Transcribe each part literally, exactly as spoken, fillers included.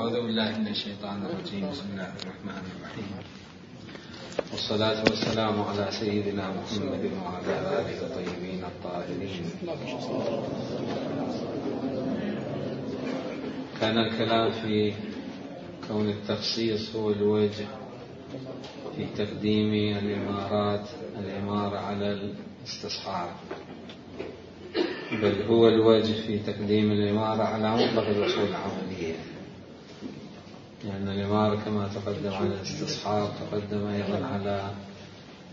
أعوذ بالله من الشيطان الرجيم. بسم الله الرحمن الرحيم، والصلاة والسلام على سيدنا محمد وعلى آله الطيبين الطاهرين. كان الكلام في كون التخصيص هو الوجه في تقديم الإمارات الإمارة على الاستصحاب، بل هو الوجه في تقديم الإمارة على مطلق الأصول العملية، لأن يعني الإمارة كما تقدم على الاستصحاب تقدم أيضا على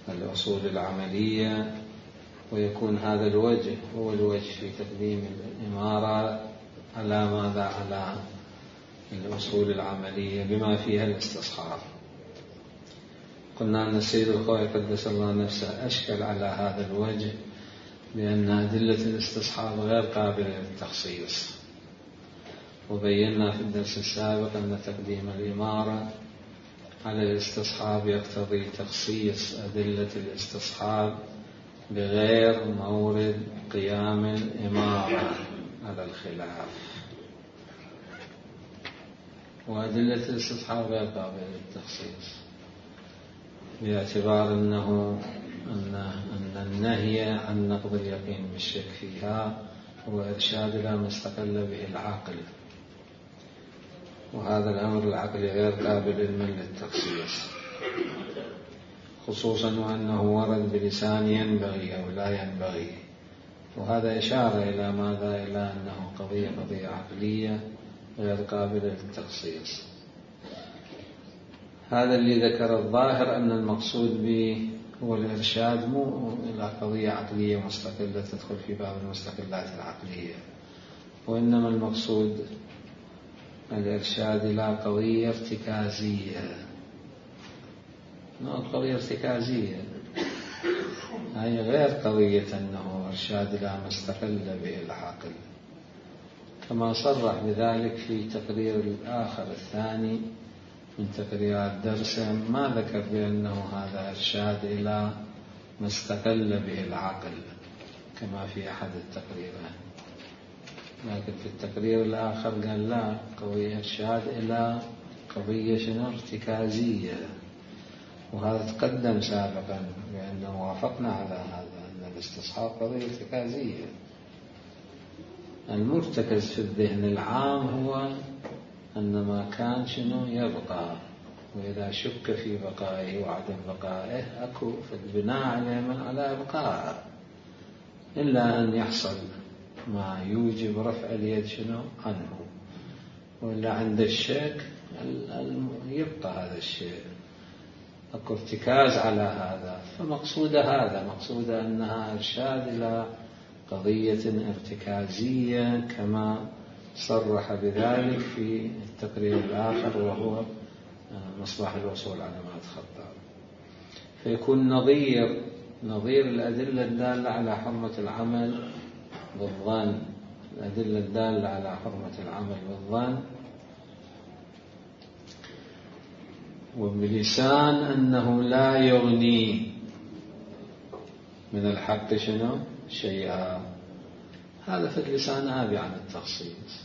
الأصول العملية، ويكون هذا الوجه هو الوجه في تقديم الإمارة على ماذا؟ على الأصول العملية بما فيها الاستصحاب. قلنا أن السيد الخوئي قدس الله نفسه أشكل على هذا الوجه بأن أدلة الاستصحاب غير قابلة للتخصيص، وبينا في الدرس السابق أن تقديم الإمارة على الاستصحاب يقتضي تخصيص أدلة الاستصحاب بغير مورد قيام الإمارة على الخلاف، وأدلة الاستصحاب غير قابلة للتخصيص باعتبار أنه أن أن النهي عن نقض اليقين بالشك فيها هو إرشاد لا مستقل به العقل، وهذا الأمر العقلي غير قابل للتخصيص، خصوصا وأنه ورد بلسان ينبغي أو لا ينبغي، وهذا إشارة إلى ماذا؟ إلى أنه قضية قضية عقلية غير قابلة للتخصيص. هذا اللي ذكر الظاهر أن المقصود به هو الإرشاد مو إلى قضية عقلية مستقلة تدخل في باب المستقلات العقلية، وإنما المقصود الإرشاد إلى قضية ارتكازية. نوع قضية ارتكازية هي غير قضية أنه إرشاد إلى ما استقل به العقل، كما صرح بذلك في تقرير الآخر الثاني من تقريرات درسه، ما ذكر بأنه هذا إرشاد إلى ما استقل به العقل كما في أحد التقريرات، لكن في التقرير الآخر قال لا، قضية إرشاد إلى قضية شنو؟ ارتكازية. وهذا تقدم سابقا بأنه وافقنا على هذا، أن الاستصحاب قضية ارتكازية. المرتكز في الذهن العام هو أن ما كان شنو؟ يبقى، وإذا شك في بقائه وعدم بقائه أكو فالبناء عليه من على إبقاء، إلا أن يحصل ما يوجب رفع اليد شنو؟ عنه، وإلا عند الشك يبقى هذا الشيء، أكو ارتكاز على هذا. فمقصود هذا مقصود أنها إرشاد إلى قضية ارتكازية كما صرح بذلك في التقرير الآخر وهو مصباح الوصول على ما الخطاب. فيكون نظير نظير الأدلة الدالة على حرمة العمل بالظن، الأدلة الدالة على حرمة العمل بالظن وبلسان أنه لا يغني من الحق شنو؟ شيئا. هذا في اللسان آبي عن التخصيص،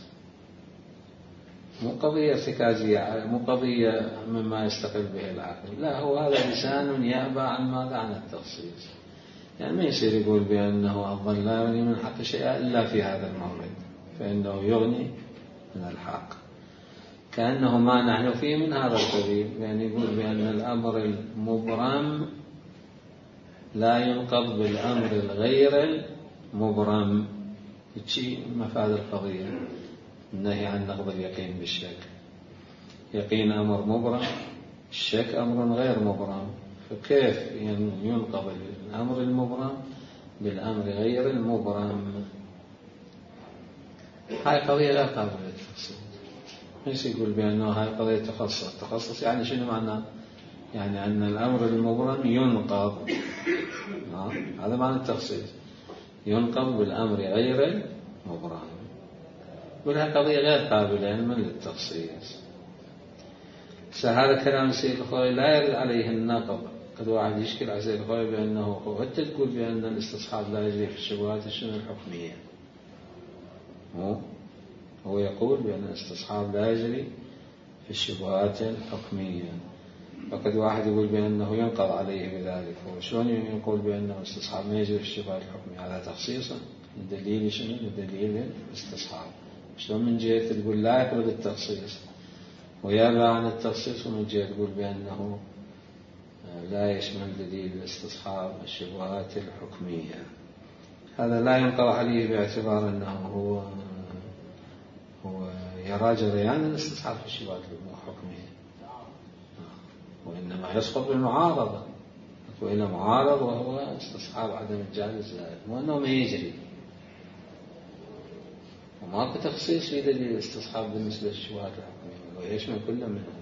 مو قضية ارتكازية، مو قضية مما يستقل به العقل، لا، هو هذا لسان يأبى عن ماذا؟ عن التخصيص. يعني ما يصير يقول بأنه الظن لا يغني من الحق شيئا إلا في هذا المورد، فإنه يغني من الحق، كأنه ما نحن فيه من هذا القبيل. يعني يقول بأن الأمر المبرم لا ينقض بالأمر الغير المبرم، شيء مفاد القضية النهي عن نقض اليقين بالشك. يقين أمر مبرم، الشك أمر غير مبرم، فكيف ينقض الأمر المبرم بالأمر غير المبرم؟ هاي قضية لا قابلة للتخصيص. ليس يقول بأنه هاي قضية تخصص. تخصص يعني شنو معناه؟ يعني أن الأمر المبرم ينقض، هذا معنى التخصيص، ينقض بالأمر غير المبرم. وهذه قضية غير قابلة من للتخصيص. فهذا كلام السيد الخوئي لا يرد عليه النقض. قد واحد يشكل على السيد الخوئي بأنه أنت تقول بأن الاستصحاب لا يجري في الشبهات الشنو الحكمية، هو هو يقول بأن الاستصحاب لا يجري في الشبهات الحكمية. فقد واحد يقول بأنه ينقض عليه بذلك، وشلون يقول بأنه استصحاب ما يجري في الشبهات الحكمية؟ على تخصيصه. الدليل شنو؟ الدليل الاستصحاب. شلون من جهة تقول لا يقبل التخصيص ويرى عن التخصيص، ومن جهة تقول بأنه لا يشمل دليل الاستصحاب الشبهات الحكمية؟ هذا لا ينقض عليه باعتبار أنه هو هو يرى جريان الاستصحاب في الشبهات الحكمية، وإنما يسقط بالمعارضة، وإلى معارض وهو استصحاب عدم الجهل الزائد، وأنه ما يجري وماكو تخصيص في دليل الاستصحاب بالنسبة للشبهات الحكمية ويشمل كل منها.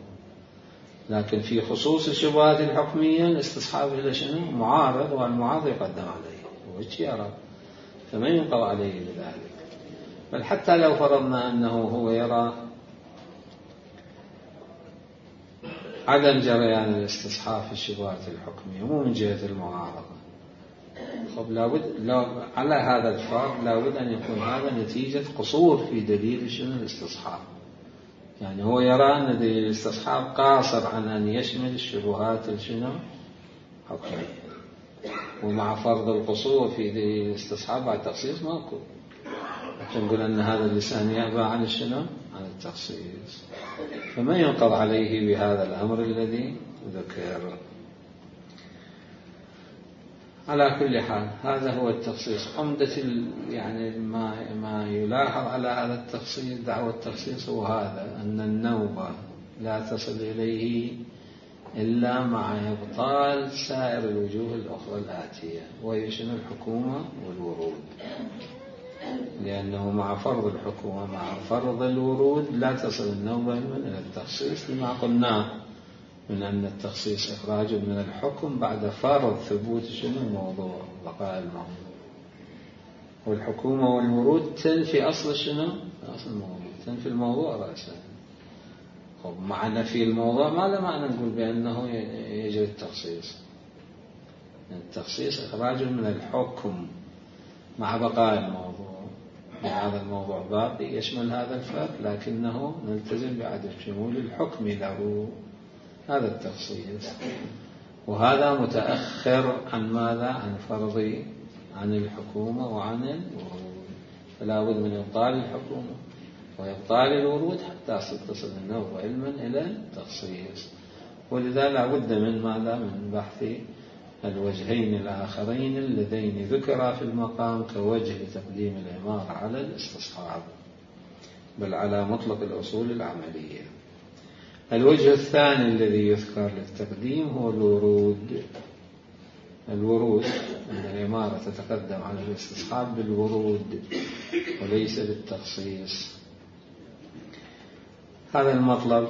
لكن في خصوص الشبهات الحكمية الاستصحاب إلى شنو؟ معارض، والمعارض يقدم عليه وش يرى، فما ينقض عليه بذلك. بل حتى لو فرضنا أنه هو يرى عدم جريان الاستصحاب في الشبهات الحكمية مو من جهة المعارضة، خب لابد لو على هذا الفرض لابد أن يكون هذا نتيجة قصور في دليل شنو؟ الاستصحاب. يعني هو يرى أن دليل الاستصحاب قاصر عن أن يشمل الشبهات الشنو؟ حكمية. ومع فرض القصور في دليل الاستصحاب بعد تخصيص ماكو، نقول أن هذا اللسان يأبى عن الشنو؟ عن التخصيص، فما ينقض عليه بهذا الأمر الذي ذكر. على كل حال هذا هو التخصيص. عمدة يعني ما ما يلاحظ على هذا التخصيص، دعوة التخصيص، هو هذا أن النوبة لا تصل إليه إلا مع إبطال سائر الوجوه الأخرى الآتية، وهي شنو؟ الحكومة والورود. لأنه مع فرض الحكومة مع فرض الورود لا تصل النوبة إلى التخصيص، لما قلناه من أن التخصيص إخراج من الحكم بعد فرض ثبوت شنو؟ الموضوع، بقاء الموضوع. والحكومة والورود تنفي أصل شنو؟ أصل الموضوع، تنفي الموضوع رأسا. خب مع نفي الموضوع ما له معنى نقول بأنه يجري التخصيص. التخصيص إخراج من الحكم مع بقاء الموضوع، هذا الموضوع باقي يشمل هذا الفرق، لكنه نلتزم بعدم شمول الحكم له. هذا التخصيص، وهذا متأخر عن ماذا؟ عن فرض عن الحكومة وعن الورود. فلا بد من إبطال الحكومة وإبطال الورود حتى تصل النوبة علما إلى التخصيص. ولذا لا بد من ماذا؟ من بحث الوجهين الآخرين اللذين ذكرا في المقام كوجه لتقديم العمارة على الاستصحاب، بل على مطلق الأصول العملية. الوجه الثاني الذي يذكر للتقديم هو الورود. الورود أن العمارة تتقدم على الاستصحاب بالورود وليس بالتخصيص. هذا المطلب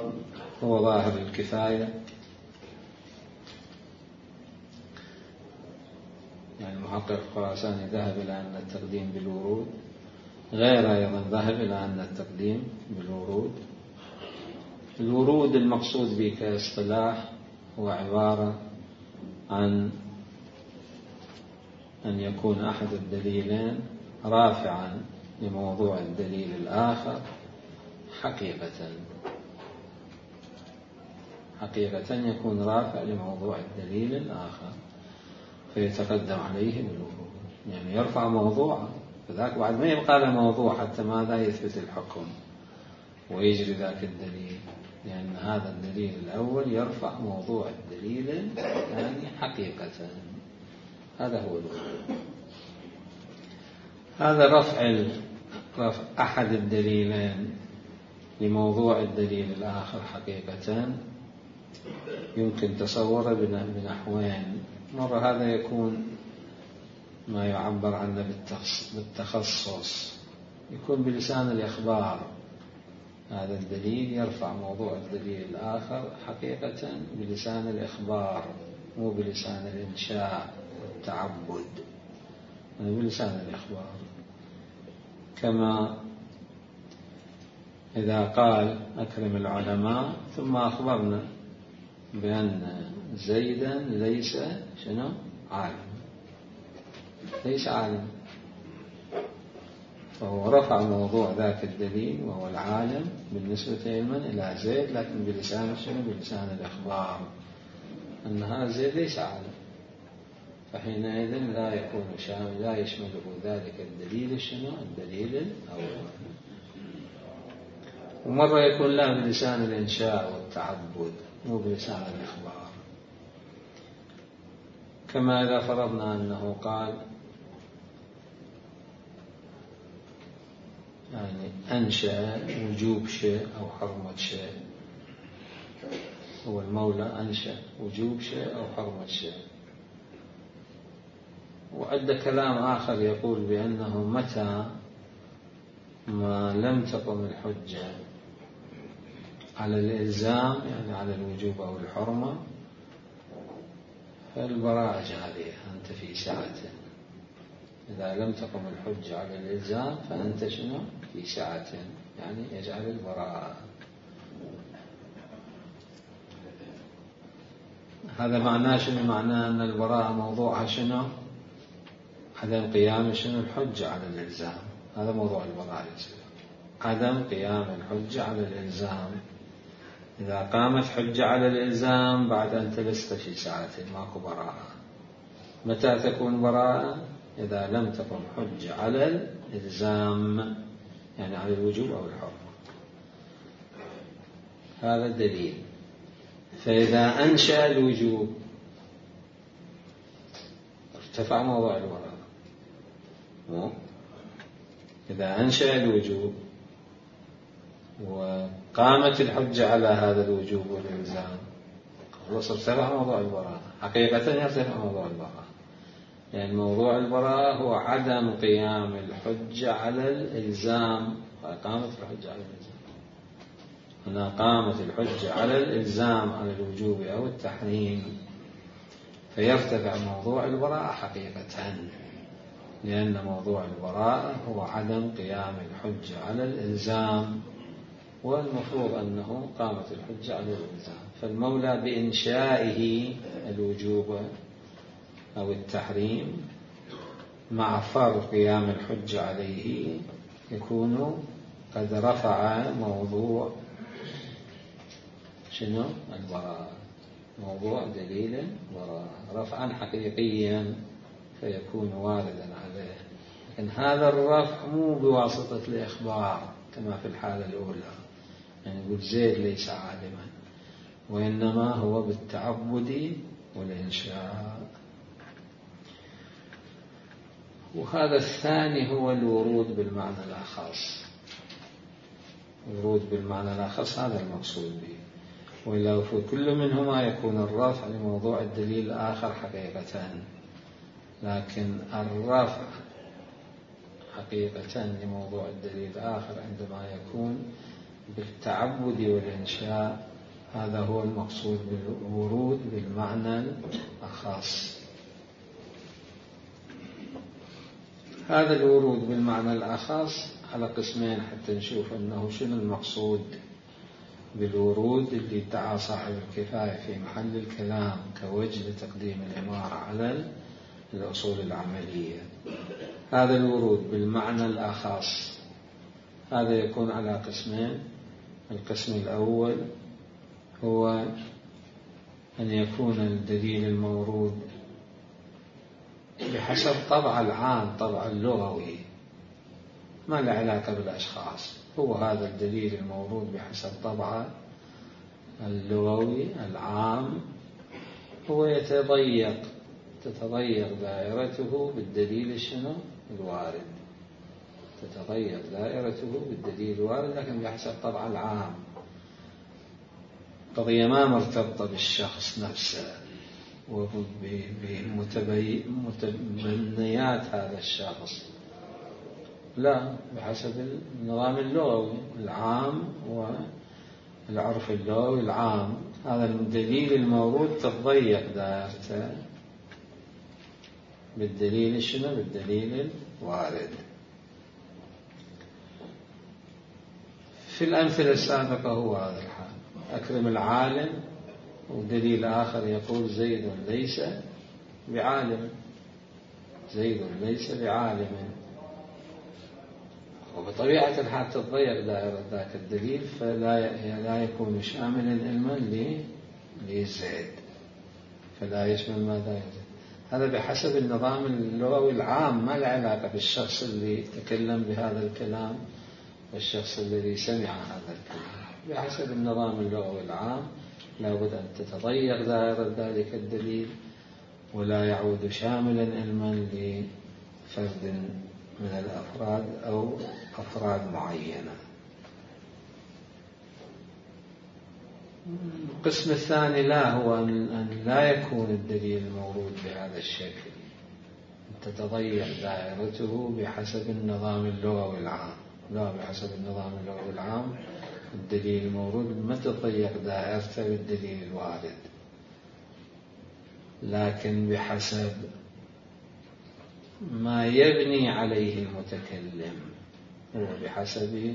هو ظاهر الكفاية، يعني المحقق الخراساني ذهب إلى أن التقديم بالورود، غير أيضا ذهب إلى أن التقديم بالورود. الورود المقصود به كاصطلاح هو عبارة عن أن يكون أحد الدليلين رافعا لموضوع الدليل الآخر حقيقة حقيقة يكون رافع لموضوع الدليل الآخر فيتقدم عليه بالورود، يعني يرفع موضوعا، فذاك بعد ما يبقى له موضوع حتى ماذا؟ يثبت الحكم ويجري ذاك الدليل، لأن هذا الدليل الأول يرفع موضوع الدليل الثاني حقيقة. هذا هو الورود. هذا رفع رفع أحد الدليلين لموضوع الدليل الآخر حقيقة يمكن تصوره بنحوين. مرة هذا يكون ما يعبر عنه بالتخصص، يكون بلسان الإخبار، هذا الدليل يرفع موضوع الدليل الآخر حقيقة بلسان الإخبار مو بلسان الإنشاء والتعبد، يعني بلسان الإخبار. كما إذا قال أكرم العلماء ثم أخبرنا بأن زيدا ليس شنو؟ عالم، ليس عالم، فهو رفع موضوع ذاك الدليل وهو العالم بالنسبة لمن إلى زيد، لكن بلسان شنو؟ بلسان الإخبار أن هذا زيد ليس عالم، فحينئذ لا يكون شامل، لا يشمله ذلك الدليل شنو؟ الدليل الأول. ومرة يكون لا بلسان الإنشاء والتعبد مو بلسان الإخبار، كما إذا فرضنا أنه قال يعني أنشأ وجوب شيء أو حرمة شيء، هو المولى أنشأ وجوب شيء أو حرمة شيء. وعند كلام آخر يقول بأنه متى ما لم تقم الحجة على الإلزام يعني على الوجوب أو الحرمة فالبراءة جارية، أنت في سعة. إذا لم تقم الحجة على الإلزام فأنت شنو؟ في سعة، يعني يجعل البراءة. هذا معناه شنو؟ معناه أن البراءة موضوعها شنو؟ عدم قيام شنو؟ الحجة على الإلزام. هذا موضوع البراءة، عدم قيام الحجة على الإلزام. إذا قامت حجة على الإلزام بعد أن لست في ساعة ماكو براءة. متى تكون براءة؟ إذا لم تقم حجة على الإلزام يعني على الوجوب أو الحرمة. هذا الدليل. فإذا أنشأ الوجوب ارتفع موضوع البراءة. إذا أنشأ الوجوب وقامت الحجة على هذا الوجوب والإلزام خلاص ارتفع موضوع البراءة. حقيقة يرتفع موضوع البراءة، يعني موضوع البراءة هو عدم قيام الحجة على الإلزام. قامت الحجة على الإلزام، هنا قامت الحجة على الإلزام على الوجوب أو التحريم فيرتفع موضوع البراءة حقيقة، لأن موضوع البراءة هو عدم قيام الحجة على الإلزام، والمفروض أنه قامت الحجة على الإلزام. فالمولى بإنشائه الوجوب أو التحريم مع فرض قيام الحجة عليه يكون قد رفع موضوع شنو؟ البراءة، موضوع دليل البراءة رفعا حقيقيا فيكون واردا عليه. لكن هذا الرفع مو بواسطة الإخبار كما في الحالة الأولى، يعني يقول زيد ليس عالما، وإنما هو بالتعبد والإنشاء. وهذا الثاني هو الورود بالمعنى الأخص. الورود بالمعنى الأخص هذا المقصود به، وإلا في كل منهما يكون الرفع لموضوع الدليل الآخر حقيقة، لكن الرفع حقيقة لموضوع الدليل الآخر عندما يكون بالتعبد والإنشاء، هذا هو المقصود بالورود بالمعنى الأخص. هذا الورود بالمعنى الأخص على قسمين حتى نشوف أنه شنو المقصود بالورود اللي ادعى صاحب الكفاية في محل الكلام كوجه لتقديم العمارة على الأصول العملية. هذا الورود بالمعنى الأخص هذا يكون على قسمين. القسم الأول هو أن يكون الدليل المورود بحسب طبع العام، طبع اللغوي، ما له علاقة بالأشخاص. هو هذا الدليل المورود بحسب طبع اللغوي العام، هو يتضيق تتضيق دائرته بالدليل شنو؟ الوارد. تتضيق دائرته بالدليل الوارد لكن بحسب طبع العام. قضية ما مرتبطة بالشخص نفسه وبمتبنيات هذا الشخص، لا، بحسب النظام اللغوي العام والعرف اللغوي العام. هذا الدليل المورود تتضيق دائرته بالدليل شنو؟ بالدليل الوارد. في الأمثلة السابقة هو هذا الحال. أكرم العالم، ودليل آخر يقول زيد ليس بعالم، زيد ليس بعالم. وبطبيعة الحال تتضيق دائرة ذاك الدليل فلا لا يكون شاملا علما لزيد، فلا يشمل ماذا يزيد. هذا بحسب النظام اللغوي العام، ما له علاقة بالشخص اللي تكلم بهذا الكلام والشخص الذي سمع هذا الكلام. بحسب النظام اللغوي العام لابد أن تتضيق دائرة ذلك الدليل ولا يعود شاملا علما لفرد من الأفراد أو أفراد معينة. القسم الثاني لا هو أن لا يكون الدليل المورود بهذا الشكل، تتضيق دائرته بحسب النظام اللغوي العام. لا، بحسب النظام اللغوي العام الدليل المورود ما تتضيق دائرته بالدليل الوارد، لكن بحسب ما يبني عليه المتكلم، وبحسب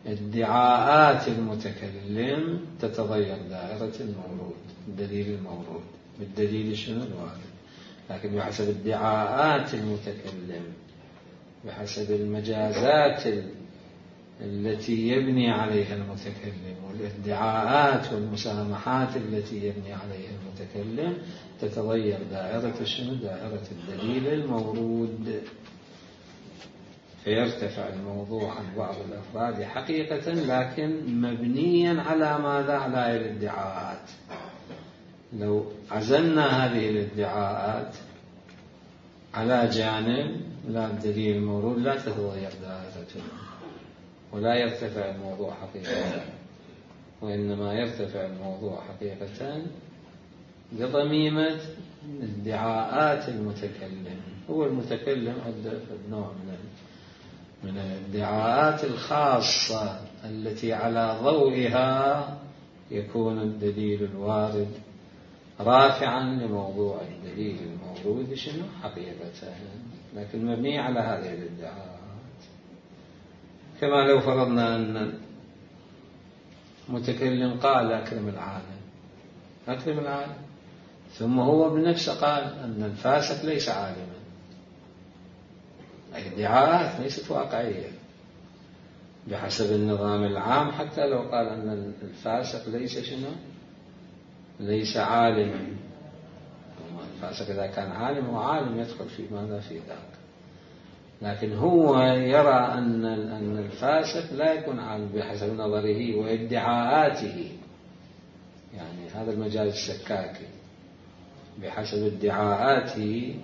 ادعاءات المتكلم تتضيق دائرة المورود، الدليل المورود بالدليل شنو الوارد. لكن بحسب ادعاءات المتكلم، بحسب المجازات التي يبني عليها المتكلم والادعاءات والمسامحات التي يبني عليها المتكلم، تتضيق دائرة شنو؟ دائرة الدليل المورود، فيرتفع الموضوع عن بعض الأفراد حقيقة، لكن مبنيا على ماذا؟ على الادعاءات. لو عزلنا هذه الادعاءات على جانب، لا الدليل المورود لا تتضيق دائرته ولا يرتفع الموضوع حقيقة، وإنما يرتفع الموضوع حقيقة بضميمة ادعاءات المتكلم. هو المتكلم عنده نوع من من الادعاءات الخاصة التي على ضوئها يكون الدليل الوارد رافعا لموضوع الدليل المورود شنو حقيقة، لكن مبني على هذه الادعاءات. كما لو فرضنا أن متكلم قال أكرم العالم، أكرم العالم، ثم هو بنفسه قال أن الفاسق ليس عالما. الادعاءات ليست واقعية بحسب النظام العام. حتى لو قال أن الفاسق ليس شنو؟ ليس عالما. الفاسق إذا كان عالم وعالم يدخل في ماذا؟ في ذاك. لكن هو يرى أن أن الفاسق لا يكون عالم بحسب نظره وادعاءاته، يعني هذا المجال السكاكي بحسب ادعاءاته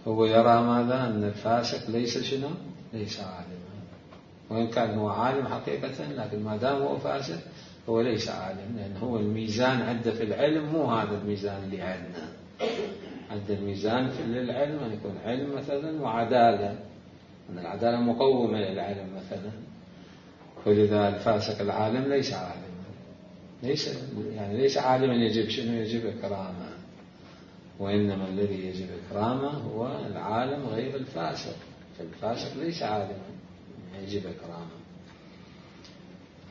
هو يرى ماذا؟ أن الفاسق ليس شنو؟ ليس عالما، وإن كان هو عالم حقيقة، لكن ما دام هو فاسق هو ليس عالم، لأن هو الميزان عنده في العلم مو هذا الميزان اللي عندنا. عند الميزان في العلم أن يكون علم مثلا وعدالة، أن العدالة مقومة للعلم مثلا، ولذا الفاسق العالم ليس عالما، ليس يعني ليس عالما يجب شنو؟ يجب إكرامه. وإنما الذي يجب إكرامه هو العالم غير الفاسق، فالفاسق ليس عالما يجب إكرامه.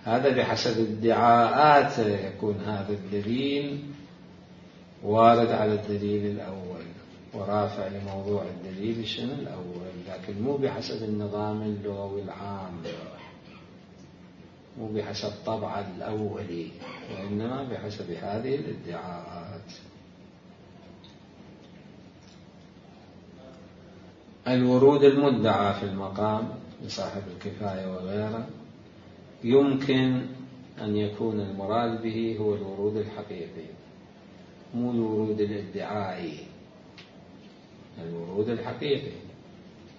هذا بحسب ادعاءات يكون هذا الدليل وارد على الدليل الأول ورافع لموضوع الدليل شنو الأول، لكن مو بحسب النظام اللغوي العام، مو بحسب طبع الأولي، وإنما بحسب هذه الادعاءات. الورود المدعى في المقام لصاحب الكفاية وغيره يمكن أن يكون المراد به هو الورود الحقيقي، مو الورود الادعائي، الورود الحقيقي،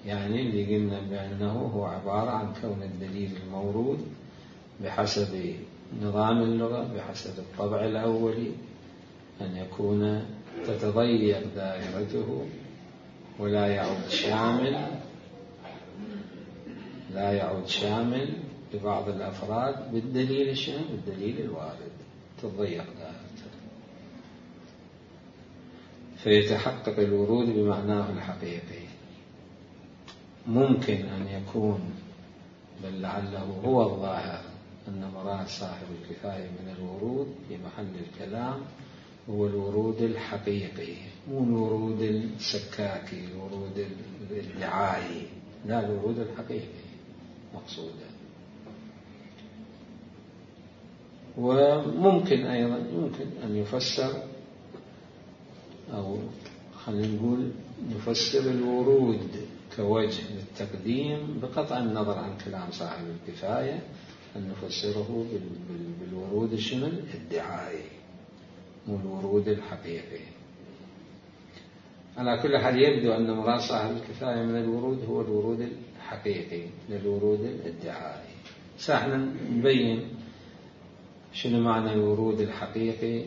يعني اللي قلنا بأنه هو عبارة عن كون الدليل المورود بحسب نظام اللغة، بحسب الطبع الأولي، أن يكون تتضيق دائرته ولا يعود شامل، لا يعود شامل لبعض الأفراد بالدليل الشنو؟ بالدليل الوارد، تتضيق دائرته، فيتحقق الورود بمعناه الحقيقي. ممكن أن يكون، بل لعله هو الظاهر، أن مراد صاحب الكفاية من الورود في محل الكلام هو الورود الحقيقي، مو الورود السكاكي، الورود الادعائي، لا، الورود الحقيقي. مقصودا. وممكن أيضا يمكن أن يفسر، أو خلينا نقول نفسر الورود كوجه للتقديم بقطع النظر عن كلام صاحب الكفاية، أن نفسره بالورود شنو الادعائي مو الورود الحقيقي. على كل حال يبدو أن مراد صاحب الكفاية من الورود هو الورود الحقيقي للورود الادعائي. ساحنا نبين شنو معنى الورود الحقيقي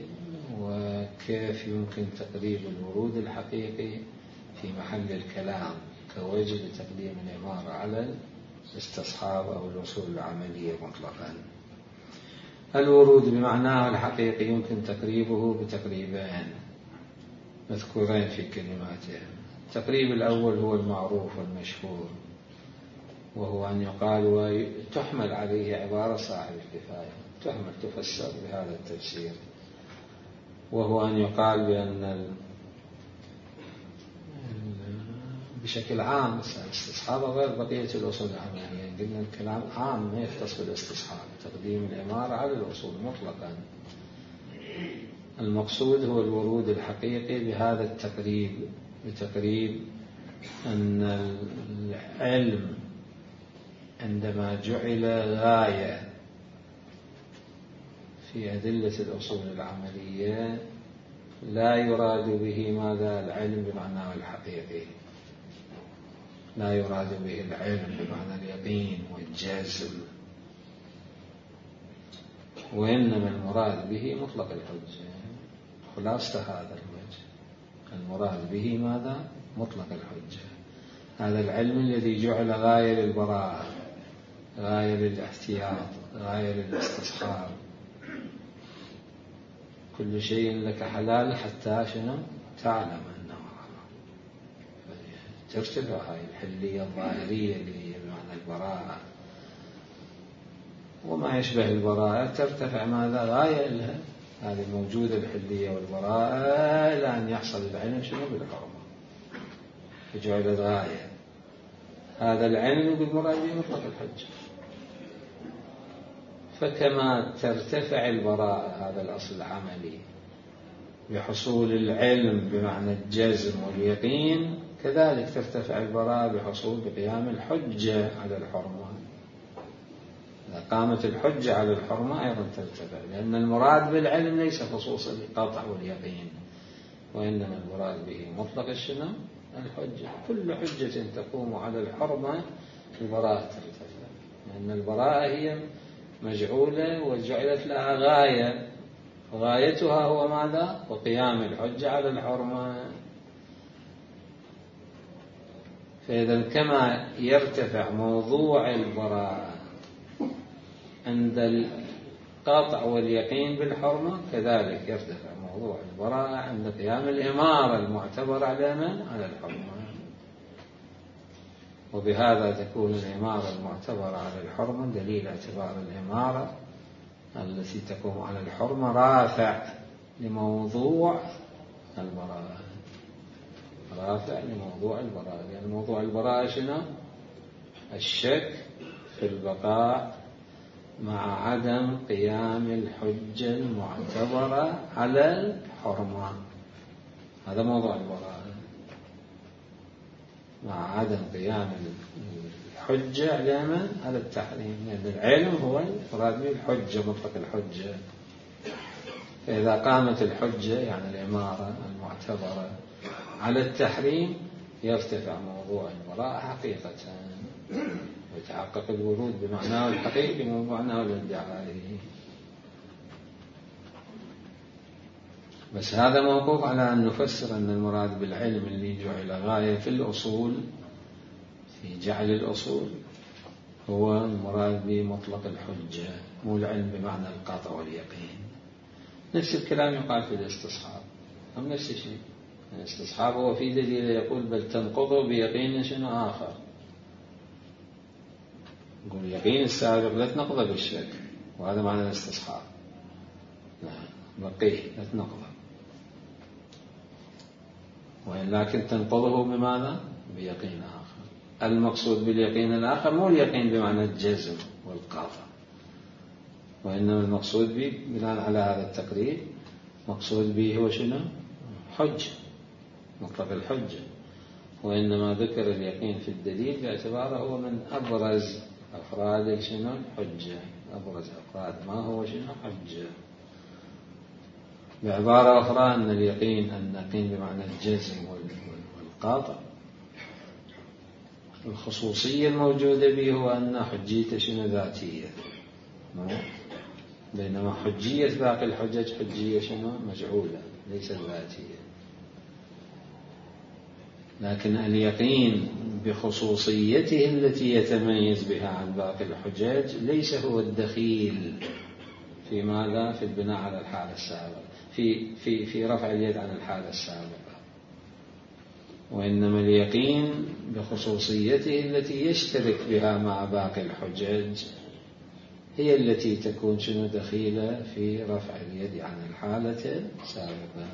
وكيف يمكن تقريب الورود الحقيقي في محل الكلام كوجه لتقديم العبارة على الاستصحاب أو الوصول العملية مطلقا. الورود بمعناه الحقيقي يمكن تقريبه بتقريبين مذكورين في كلماته. التقريب الأول هو المعروف والمشهور، وهو أن يقال وتحمل عليه عبارة صاحب الكفاية، تحمل تفسر بهذا التفسير، وهو أن يقال بأن بشكل عام الاستصحاب غير بقية الأصول العملية. قلنا الكلام عام ما يختص بالاستصحاب، تقديم العبارة على الأصول مطلقا. المقصود هو الورود الحقيقي بهذا التقريب، بتقريب أن العلم عندما جعل غاية في أدلة الأصول العملية لا يراد به ماذا العلم بمعناه الحقيقي، لا يراد به العلم بمعنى اليقين والجزم، وإنما المراد به مطلق الحجة. خلاصة هذا الوجه المراد به ماذا؟ مطلق الحجة. هذا العلم الذي جعل غاية للبراءة، غاية للاحتياط، غاية للاستصحاب. كل شيء لك حلال حتى شنو تعلم أنه حرام. ترتفع هاي الحلية الظاهرية اللي هي بمعنى البراءة وما يشبه البراءة، ترتفع ماذا غاية لها هذه الموجودة الحلية والبراءة إلى أن يحصل العلم شنو بالحرمة، فجعل غاية. هذا العلم بالمراد به مطلق الحجة. فكما ترتفع البراءة هذا الأصل العملي بحصول العلم بمعنى الجزم واليقين، كذلك ترتفع البراءة بحصول بقيام الحجة على الحرمة. إذا قامت الحجة على الحرمة أيضا ترتفع، لأن المراد بالعلم ليس خصوصا القطع واليقين، وإنما المراد به مطلق الشنو الحجة. كل حجة تقوم على الحرمة البراءة ترتفع، لأن البراءة هي مجعولة وجعلت لها غاية، غايتها هو ماذا؟ وقيام الحجة على الحرمة. فإذا كما يرتفع موضوع البراءة عند القطع واليقين بالحرمة، كذلك يرتفع موضوع البراءة عند قيام الإمارة المعتبرة على من؟ على الحرمة. وبهذا تكون الإمارة المعتبرة على الحرمة دليل اعتبار الإمارة التي تقوم على الحرمة رافع لموضوع البراءة، رافع لموضوع البراءة، لأن يعني موضوع البراءة شنو؟ الشك في البقاء مع عدم قيام الحجة المعتبرة على الحرمة. هذا موضوع البراءة، مع عدم قيام الحجة على من؟ على التحريم، لأن يعني العلم هو المراد به الحجة مطلق الحجة. فإذا قامت الحجة يعني الإمارة المعتبرة على التحريم يرتفع موضوع البراءة حقيقة، ويتحقق الورود بمعناه الحقيقي بمعناه الادعائي. بس هذا موقوف على أن نفسر أن المراد بالعلم اللي جعل غاية في الأصول، في جعل الأصول، هو المراد بمطلق الحجة، مو العلم بمعنى القطع واليقين. نفس الكلام يقال في الاستصحاب، هم نفس الشيء. الاستصحاب هو في دليل يقول بل تنقضه بيقين شنو آخر. يقول اليقين السابق لا تنقضه بالشك، وهذا معنى الاستصحاب، بقيه لا تنقضه، ولكن تنقضه بماذا؟ بيقين آخر. المقصود باليقين الآخر مو اليقين بمعنى الجزم والقاطع، وإنما المقصود به بناء على هذا التقرير مقصود به هو شنو؟ حجة، مطلق الحجة. وإنما ذكر اليقين في الدليل باعتباره هو من أبرز أفراد شنو؟ الحجة، أبرز أفراد ما هو شنو؟ حجة. بعبارة أخرى أن اليقين أن اليقين بمعنى الجزم والقاطع الخصوصية الموجودة به هو أن حجيته شنو؟ ذاتية، بينما حجية باقي الحجج حجية شنو؟ مجعولة ليست ذاتية. لكن اليقين بخصوصيته التي يتميز بها عن باقي الحجج ليس هو الدخيل في ماذا؟ في البناء على الحالة السابقة، في في في رفع اليد عن الحالة السابقة، وإنما اليقين بخصوصيته التي يشترك بها مع باقي الحجج هي التي تكون شنو؟ دخيلة في رفع اليد عن الحالة السابقة.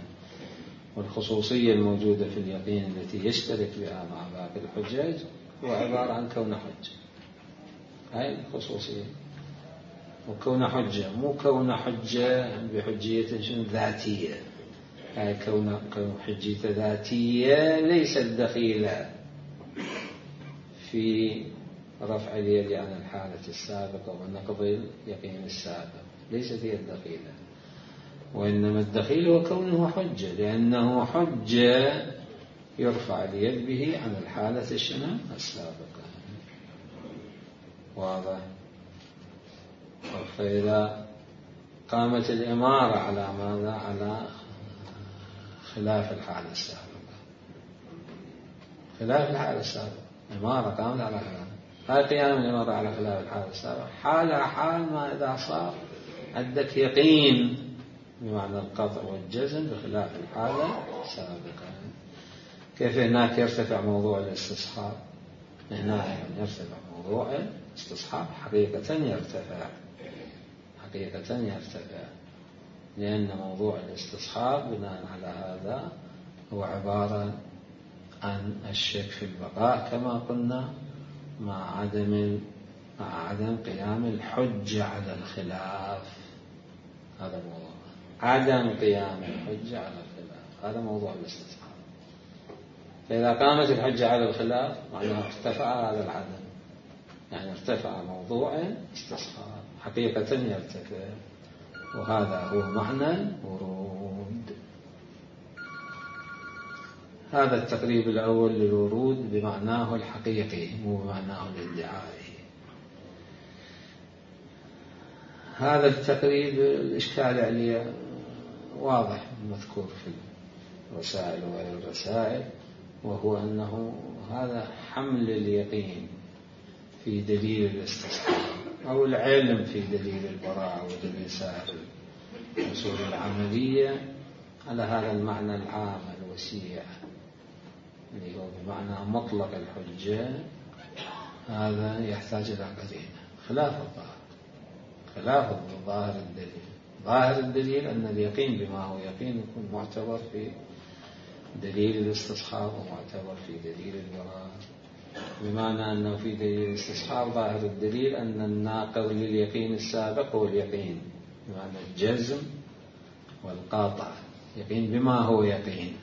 والخصوصية الموجودة في اليقين التي يشترك بها مع باقي الحجج هو عبارة عن كون حجة، هاي الخصوصية. وكون حجة مو كون حجة بحجية شنو؟ ذاتية، هاي كون كون حجية ذاتية ليست دخيلة في رفع اليد عن الحالة السابقة ونقض اليقين السابق، ليست هي الدخيلة. وإنما الدخيل هو كونه حجة، لأنه حجة يرفع اليد به عن الحالة الشنو؟ السابقة. واضح؟ فإذا قامت الإمارة على ماذا؟ على خلاف الحالة السابقة، خلاف الحالة السابقة، إمارة قامت على خلاف، هاي قيام الإمارة على خلاف الحالة السابقة حالها حال ما إذا صار عندك يقين بمعنى القطع والجزم بخلاف الحالة السابقة. كيف هناك يرتفع موضوع الاستصحاب؟ هنا يرتفع موضوع الاستصحاب حقيقة يرتفع، حقيقة يرتفع، لأن موضوع الاستصحاب بناء على هذا هو عبارة عن الشك في البقاء كما قلنا، مع عدم مع عدم قيام الحجة على الخلاف. هذا موضوع عدم قيام الحجة على الخلاف، هذا موضوع الاستصحاب. فإذا قامت الحجة على الخلاف معناها ارتفع هذا العدم، يعني ارتفع موضوع الاستصحاب، حقيقة يرتفع، وهذا هو معنى الورود. هذا التقريب الأول للورود بمعناه الحقيقي مو بمعناه الادعائي. هذا التقريب الإشكال عليه واضح مذكور في الرسائل وغير الرسائل، وهو أنه هذا حمل اليقين في دليل الاستصحاب أو العلم في دليل البراءة ودليل سائر الأصول العملية على هذا المعنى العام الوسيع اللي هو بمعنى مطلق الحجة، هذا يحتاج إلى قرينة خلاف الظاهر، خلاف ظاهر الدليل. ظاهر الدليل أن اليقين بما هو يقين يكون معتبر في دليل الاستصحاب ومعتبر في دليل البراءة، بمعنى أنه في دليل الاستصحاب ظاهر الدليل أن الناقض لليقين السابق هو اليقين بمعنى الجزم والقاطع، يقين بما هو يقين.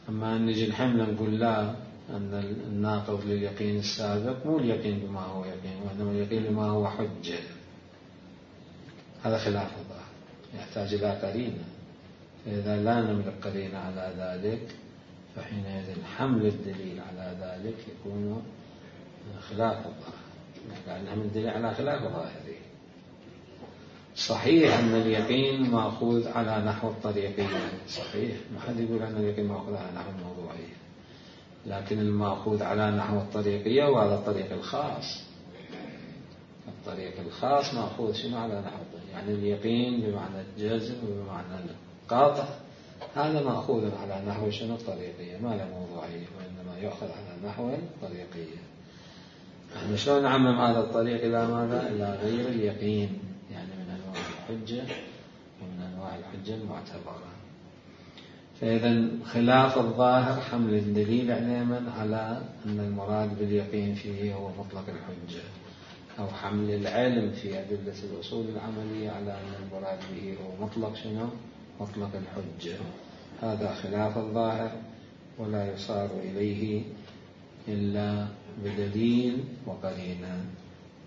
أما أن نجي الحمل نقول لا، أن الناقض لليقين السابق مو اليقين بما هو يقين، وإنما اليقين بما هو حجة، هذا خلاف الظاهر يحتاج إلى قرينة. فإذا لا نملك قرينة على ذلك فحينئذ حمل الدليل على ذلك يكون خلاف الظاهر، يعني نحمل الدليل على خلاف ظاهره. صحيح أن اليقين مأخوذ على نحو الطريقية، صحيح، ما حد يقول أن اليقين مأخوذ على نحو الموضوعية، لكن المأخوذ على نحو الطريقية وهذا الطريق الخاص، الطريق الخاص مأخوذ شنو على نحو الطريق، يعني اليقين بمعنى الجزم وبمعنى القاطع هذا مأخوذ على نحو شنو الطريقية، ما له موضوعية، وإنما يأخذ على نحو الطريقية. احنا شلون نعمم هذا الطريق إلى ماذا؟ إلى غير اليقين، يعني من أنواع الحجة ومن أنواع الحجة المعتبرة. فإذا خلاف الظاهر حمل الدليل علما على أن المراد باليقين فيه هو مطلق الحجة، أو حمل العلم في أدلة الأصول العملية على أن المراد به هو مطلق شنو؟ مطلق الحجة. هذا خلاف الظاهر ولا يصار إليه إلا بدليل وقرينة،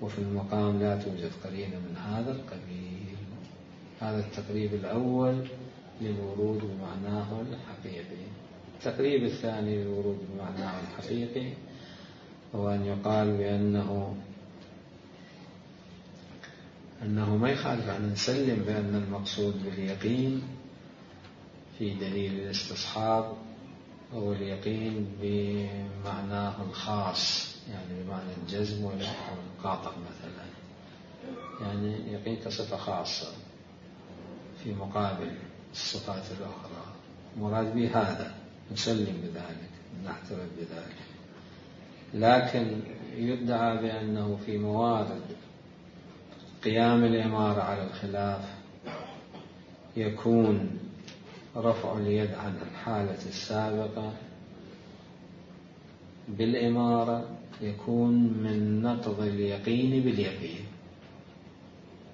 وفي المقام لا توجد قرينة من هذا القبيل. هذا التقريب الأول للورود بمعناه الحقيقي. التقريب الثاني للورود بمعناه الحقيقي هو أن يقال بأنه أنه ما يخالف أن نسلم بأن المقصود باليقين في دليل الاستصحاب هو اليقين بمعناه الخاص، يعني بمعنى الجزم والقاطع مثلا، يعني يقين كصفة خاصة في مقابل الصفات الأخرى، مراد به هذا، نسلم بذلك، نعترف بذلك. لكن يدعى بأنه في موارد قيام الإمارة على الخلاف يكون رفع اليد عن الحالة السابقة بالإمارة يكون من نقض اليقين باليقين،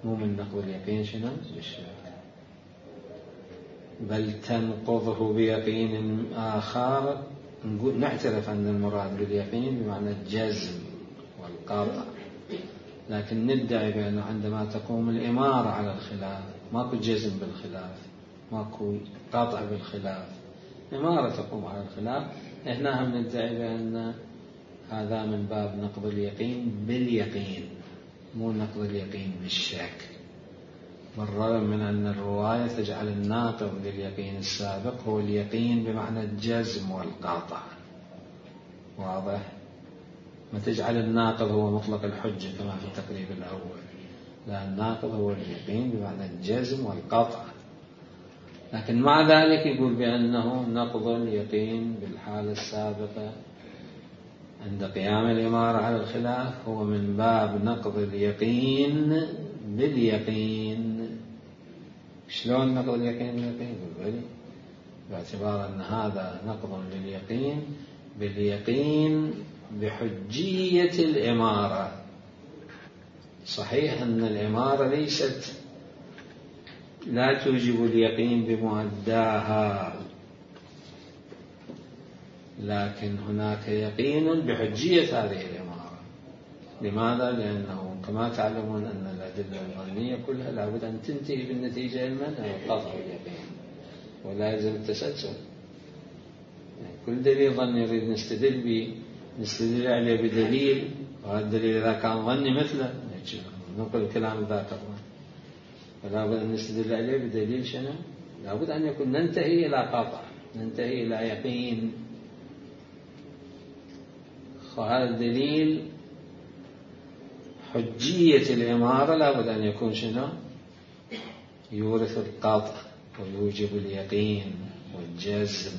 مو من نقض اليقين شنو؟ بالشك، بل تنقضه بيقين آخر. نقول نعترف أن المراد باليقين بمعنى الجزم والقطع، لكن ندعي بأنه عندما تقوم الإمارة على الخلاف ماكو جزم بالخلاف، ماكو قطع بالخلاف، إمارة تقوم على الخلاف، إحنا هم ندعي بأن هذا من باب نقض اليقين باليقين، مو نقض اليقين بالشك، بالرغم من أن الرواية تجعل الناقض لليقين السابق هو اليقين بمعنى الجزم والقطع، واضح؟ ما تجعل الناقض هو مطلق الحجة كما في التقريب الأول، لا، الناقض هو اليقين بمعنى الجزم والقطع. لكن مع ذلك يقول بأنه نقض اليقين بالحالة السابقة عند قيام الإمارة على الخلاف هو من باب نقض اليقين باليقين. شلون نقض اليقين باليقين؟ بالبالي، باعتبار أن هذا نقض لليقين باليقين بحجية الإمارة. صحيح أن الإمارة ليست لا توجب اليقين بمؤداها، لكن هناك يقين بحجية هذه الإمارة. لماذا؟ لأنه كما تعلمون أن الأدلة الظنية كلها لابد أن تنتهي بالنتيجة المنع والقطع اليقين، ولا يلزم التسلسل. يعني كل دليل ظني نريد نستدل به نستدل عليه بدليل، وهذا الدليل إذا كان ظني مثله نقل كلام ذاك الظن، فلا بد أن نستدل عليه بدليل شنو؟ لابد أن يكون ننتهي إلى قطع، ننتهي إلى يقين. فهذا الدليل حجية الإمارة لابد أن يكون شنو؟ يورث القطع ويوجب اليقين والجزم،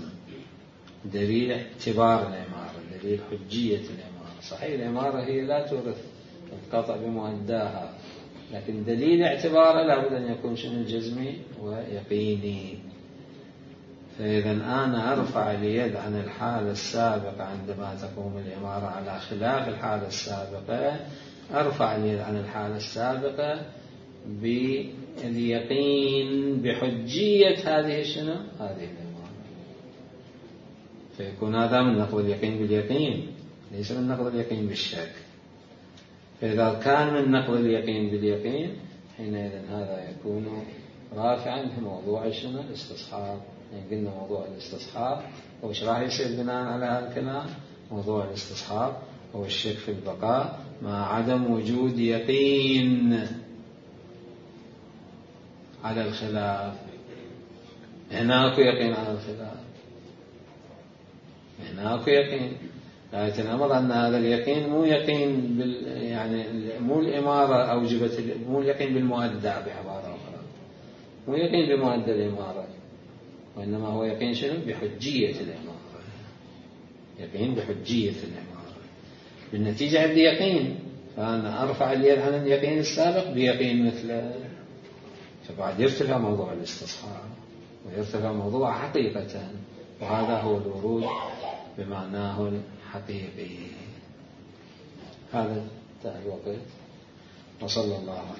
دليل اعتبار الإمارة، دليل حجية الإمارة. صحيح الإمارة هي لا تورث القطع بمؤداها، لكن دليل اعتباره لابد أن يكون شنو؟ جزمي ويقيني. فإذا أنا أرفع اليد عن الحالة السابقة عندما تقوم الإمارة على خلاف الحالة السابقة، أرفع اليد عن الحالة السابقة باليقين بحجية هذه شنو؟ هذه الإمارة. فيكون هذا من نقض اليقين باليقين، ليس من نقض اليقين بالشك. فإذا كان من نقض اليقين باليقين حينئذ هذا يكون رافعا في موضوع شنو؟ الاستصحاب. يعني قلنا موضوع الاستصحاب وش راح يصير بناء على هذا الكلام؟ موضوع الاستصحاب هو الشك في البقاء مع عدم وجود يقين على الخلاف. هناك يقين على الخلاف، هناك يقين، لكن الأمر أن هذا اليقين مو يقين بال يعني مو الإمارة أوجبت، مو اليقين بالمؤدى بعبارة أخرى، مو يقين بمؤدى الإمارة، وإنما هو يقين شنو؟ بحجية الإمارة، يقين بحجية الإمارة. بالنتيجة عندي يقين، فأنا أرفع اليد عن اليقين السابق بيقين مثله، فبعد يرتفع موضوع الاستصحاب ويرتفع موضوع حقيقة، وهذا هو الورود بمعناه الحقيقي. هذا انتهى الوقت، وصلى الله على